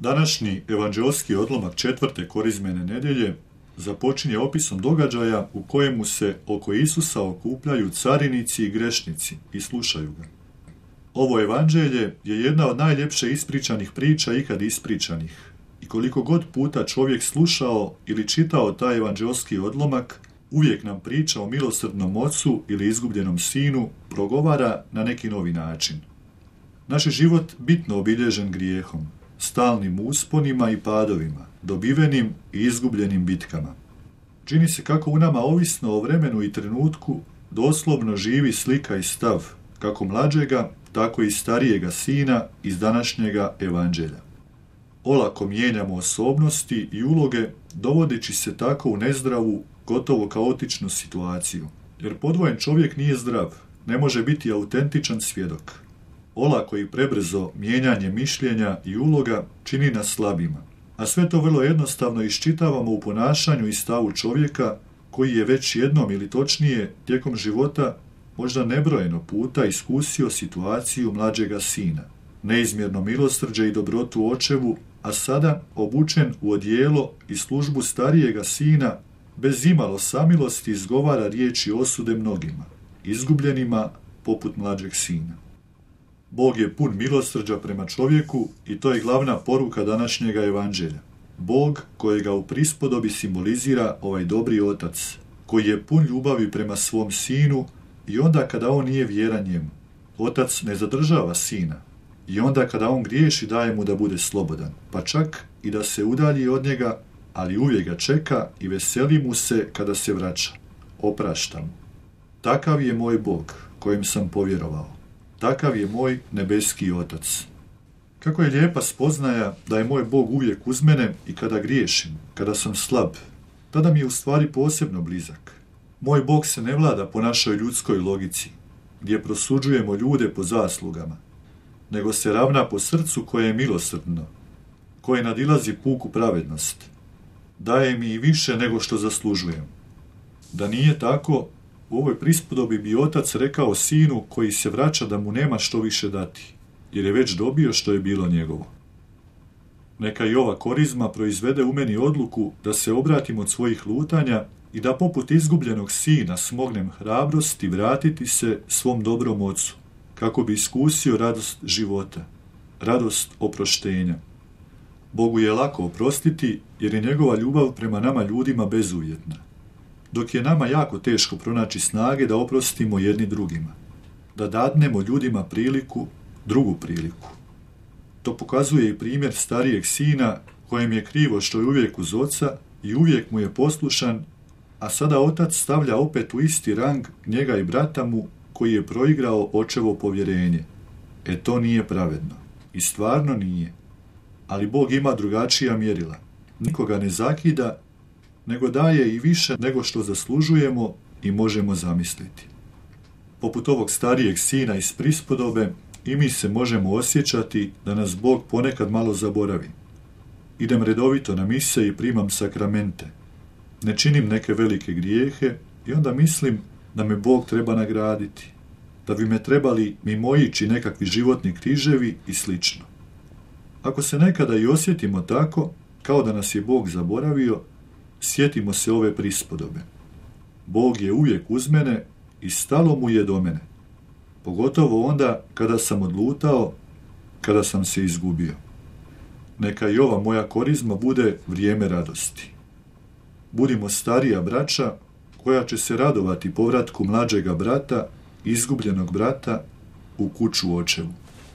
Današnji evanđeoski odlomak 4. korizmene nedjelje započinje opisom događaja u kojemu se oko Isusa okupljaju carinici i grešnici i slušaju ga. Ovo evanđelje je jedna od najljepše ispričanih priča ikad ispričanih. I koliko god puta čovjek slušao ili čitao taj evanđeoski odlomak, uvijek nam priča o milosrdnom ocu ili izgubljenom sinu progovara na neki novi način. Naš je život bitno obilježen grijehom, stalnim usponima i padovima, dobivenim i izgubljenim bitkama. Čini se kako u nama ovisno o vremenu i trenutku doslovno živi slika i stav, kako mlađega, tako i starijega sina iz današnjega evanđelja. Olako mijenjamo osobnosti i uloge, dovodeći se tako u nezdravu, gotovo kaotičnu situaciju. Jer podvojen čovjek nije zdrav, ne može biti autentičan svjedok. Olako i prebrzo mijenjanje mišljenja i uloga čini nas slabima. A sve to vrlo jednostavno iščitavamo u ponašanju i stavu čovjeka koji je već jednom ili točnije tijekom života možda nebrojeno puta iskusio situaciju mlađega sina, neizmjerno milosrđe i dobrotu očevu, a sada obučen u odijelo i službu starijega sina, bez imalo samilosti izgovara riječi osude mnogima, izgubljenima poput mlađeg sina. Bog je pun milosrđa prema čovjeku i to je glavna poruka današnjega evanđelja. Bog kojega u prispodobi simbolizira ovaj dobri otac, koji je pun ljubavi prema svom sinu i onda kada on nije vjeran njemu. Otac ne zadržava sina i onda kada on griješi daje mu da bude slobodan, pa čak i da se udalji od njega, ali uvijek ga čeka i veseli mu se kada se vraća. Oprašta mu. Takav je moj Bog kojem sam povjerovao. Takav je moj nebeski otac. Kako je lijepa spoznaja da je moj Bog uvijek uz mene i kada griješim, kada sam slab, tada mi je u stvari posebno blizak. Moj Bog se ne vlada po našoj ljudskoj logici, gdje prosuđujemo ljude po zaslugama, nego se ravna po srcu koje je milosrdno, koje nadilazi puku pravednost. Daje mi i više nego što zaslužujem. Da nije tako, u ovoj prispodobi bi otac rekao sinu koji se vraća da mu nema što više dati, jer je već dobio što je bilo njegovo. Neka i ova korizma proizvede u meni odluku da se obratim od svojih lutanja i da poput izgubljenog sina smognem hrabrost i vratiti se svom dobrom ocu, kako bi iskusio radost života, radost oproštenja. Bogu je lako oprostiti jer je njegova ljubav prema nama ljudima bezuvjetna, dok je nama jako teško pronaći snage da oprostimo jedni drugima, da dadnemo ljudima priliku, drugu priliku. To pokazuje i primjer starijeg sina kojem je krivo što je uvijek uz oca i uvijek mu je poslušan, a sada otac stavlja opet u isti rang njega i brata mu koji je proigrao očevo povjerenje. To nije pravedno. I stvarno nije. Ali Bog ima drugačija mjerila. Nikoga ne zakida, nego daje i više nego što zaslužujemo i možemo zamisliti. Poput ovog starijeg sina iz prispodobe, i mi se možemo osjećati da nas Bog ponekad malo zaboravi. Idem redovito na mise i primam sakramente. Ne činim neke velike grijehe i onda mislim da me Bog treba nagraditi, da bi me trebali mimoići nekakvi životni križevi i slično. Ako se nekada i osjetimo tako, kao da nas je Bog zaboravio, sjetimo se ove prispodobe. Bog je uvijek uz mene i stalo mu je do mene, pogotovo onda kada sam odlutao, kada sam se izgubio. Neka i ova moja korizma bude vrijeme radosti. Budimo starija braća koja će se radovati povratku mlađega brata, izgubljenog brata u kuću očevu.